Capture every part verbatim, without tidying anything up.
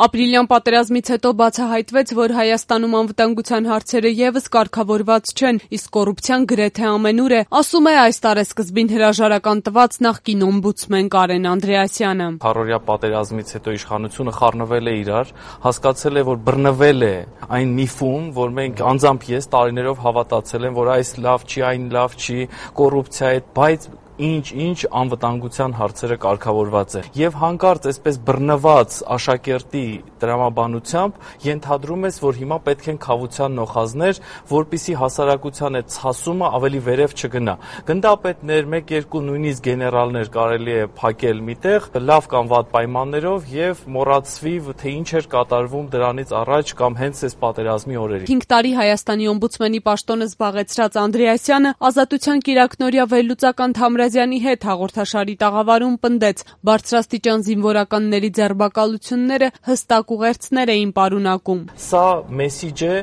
Ապրիլյան պատերազմից հետո բացահայտվեց, որ Հայաստանում անվտանգության հարցերը ևս կարգավորված չեն, իսկ կոռուպցիան գրեթե ամենուր է, ասում է այս տարեսկզբին հրաժարական տված նախկին օմբուդսմեն Կարեն Անդրեասյանը։ Քառօրյա պատերազմից հետո իշխանությունը խառնվել է իրար, հասկացել է, որ բռնվել է այն միֆում, որ մենք անձամբ ես տարիներով հավատացել եմ, որ այս լավ չի, այն լավ չի, կոռուպցիա է, բայց ինչ-ինչ անվտանգության հարցերը կարգավորված է։ Եվ հանկարծ այսպես բռնված աշակերտի տրամաբանությամբ ենթադրում ես, որ հիմա պետք են քավության նոխազներ, որպիսի հասարակության այդ ցասումը ավելի վերև չգնա։ Գնդապետներ, մեկ-երկու նույնիսկ գեներալներ կարելի է փակել միտեղ, լավ կամ վատ պայմաններով եւ մոռացվի, թե ինչ էր կատարվում դրանից առաջ կամ հենց այս պատերազմի օրերին։ Հինգ տարի Հայաստանի օմբուդսմենի պաշտոնը զբաղեցրած Անդրեասյանը Ազատության կիրակնօրյա վերլուծական Թամրազյանի հետ հաղորդաշարի տաղավարում պնդեց, բարձրաստիճան զինվորականների ձերբակալությունները հստակ ուղերձներ էին պարունակում։ Սա մեսիջ է,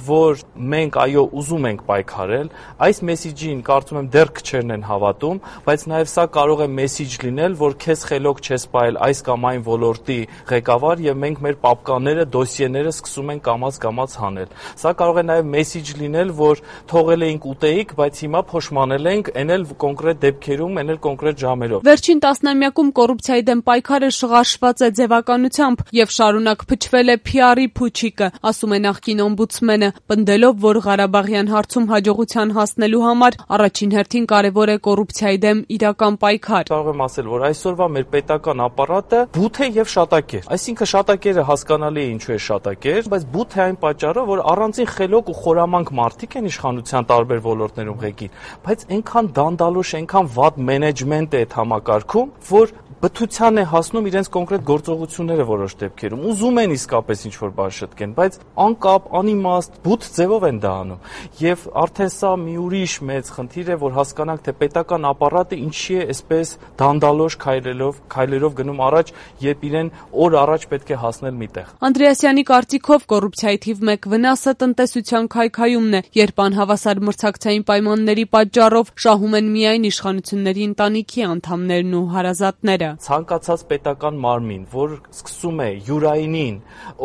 որ մենք այո ուզում ենք պայքարել, այս մեսիջին կարծում եմ դեռ քչերն են հավատում, բայց նաև սա կարող է մեսիջ լինել, որ քեզ խելոք չես պահել այս կամ այն ոլորտի ղեկավար եւ մենք մեր պապկաները, դոսիեները սկսում ենք կամաց-կամաց հանել։ Սա կարող է նաև մեսիջ լինել, որ թողել էինք ուտեիք, բայց հիմա փոշմանել ենք, էնել կոնկրետ դեպքերում, էնել կոնկրետ ժամերով։ Վերջին տասնամյակում կոռուպցիայի դեմ պայքարը շղարշված է ձևականությամբ եւ շարունակ փչվել է փի արի փուչիկը, ասում է նախկին օմբուդսմենը, պնդելով, որ Ղարաբաղյան հարցում հաջողության հասնելու համար առաջին հերթին կարևոր է կոռուպցիայի դեմ իրական պայքար։ Կարող եմ ասել, որ այսօրվա մեր պետական ապարատը բութ է եւ շատակեր։ Այսինքն շատակերը հասկանալի է ինչու է շատակեր, բայց բութ է այն պատճառով, որ առանձին խելոք ու խորամանկ մարդիկ են իշխանության տարբեր ոլորտներում ղեկին, բայց այնքան դանդալոշ, այնքան վատ մենեջմենտ է այդ համակարգում, որ բթության է հասնում իրենց կոնկրետ գործողությունները որոշ դեպքերում։ Ուզում են իսկապես ինչ-որ բան շտկեն, բայց անկապ, անիմաստ, բութ ձևով են դա անում։ Եվ արդեն սա մի ուրիշ մեծ խնդիր է, որ հասկանանք, թե պետական ապարատը ինչի է այսպես դանդալոշ քայլելով, քայլերով գնում առաջ, երբ իրեն օր առաջ պետք է հասնել միտեղ։ Անդրեասյանի կարծիքով կոռուպցիայի թիվ մեկ վնասը տնտեսության քայքայումն է, երբ անհավասար մրցակցային պայմանների պատճառով շահում են միայն իշխանությունների ընտանիքի անդամներն ու հարազատները։ Ցանկացած պետական մարմին, որ սկսում է յուրայինին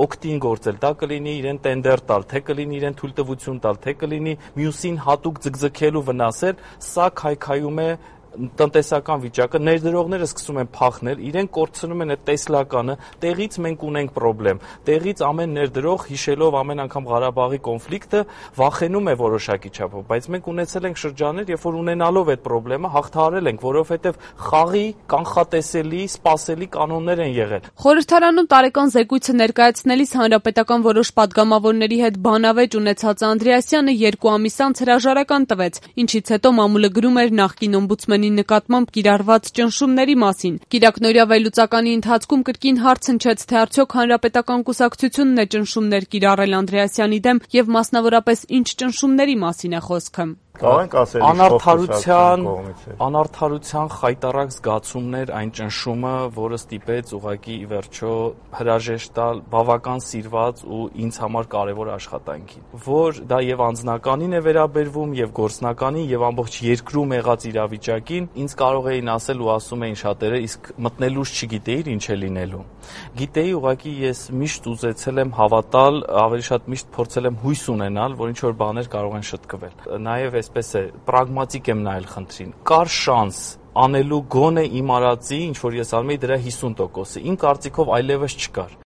օգտին գործել, դա կլինի իրեն տենդեր տալ, թե կլինի իրեն թույլտվություն տալ, թե կլինի մյուսին հատուկ ձգձգել ու վնասել, սա քայքայում է տնտեսական վիճակը, ներդրողները սկսում են փախնել, իրենք կորցնում են այդ տեսլականը, տեղից մենք ունենք խնդրեմ, տեղից ամեն ներդրող հիշելով ամեն անգամ Ղարաբաղի կոնֆլիկտը վախենում է որոշակի չափով, բայց մենք ունեցել ենք շրջաններ, երբ որ ունենալով այդ խնդրեմը հաղթահարել ենք, որովհետև խաղի կանխատեսելի, սպասելի կանոններ են եղել։ Խորհրդարանում տարեկան զեկույցը ներկայացնելիս հանրապետական որոշ падգամավորների հետ բանավեճ ունեցած Անդրեասյանը երկու ամիս անց հրաժարական տվեց, ինչից հետո մամուլը գրում էր նախկին օմբուդսմենի նկատմամբ կիրառված ճնշումների մասին։ Կիրակնօրյա վերլուծականի ընթացքում կրկին հարց հնչեց, թե արդյոք հանրապետական կուսակցությունն է ճնշումներ կիրառել Անդրեասյանի դեմ եւ մասնավորապես ինչ ճնշումների մասին է խոսքը։ Անարդարության, անարդարության խայտառակ զգացումներ այն ճնշումը, որը ստիպեց ուղղակի ի վերջո հրաժեշտ տալ բավական սիրված ու ինձ համար կարևոր աշխատանքին, որ դա եւ անձնականին է վերաբերվում, եւ գործնականին, եւ ամբողջ երկրում եղած իրավիճակին, ինձ կարող էին ասել ու ասում էին շատերը, իսկ մտնելուց չգիտեիր ինչ է լինելու։ Գիտեի, ուղղակի ես միշտ ուզեցել եմ հավատալ, ավելի շատ միշտ փորձել եմ հույս ունենալ, որ ինչ որ բաներ կարող են շտկվել։ Նաեւ այսպես է, պրագմատիկ եմ նայել խնդրին։ Կար շանս անելու գոնե իմ արածի, ինչ որ ես անում էի, դրա հիսուն տոկոսը։ Իմ կարծիքով այլևս չկար։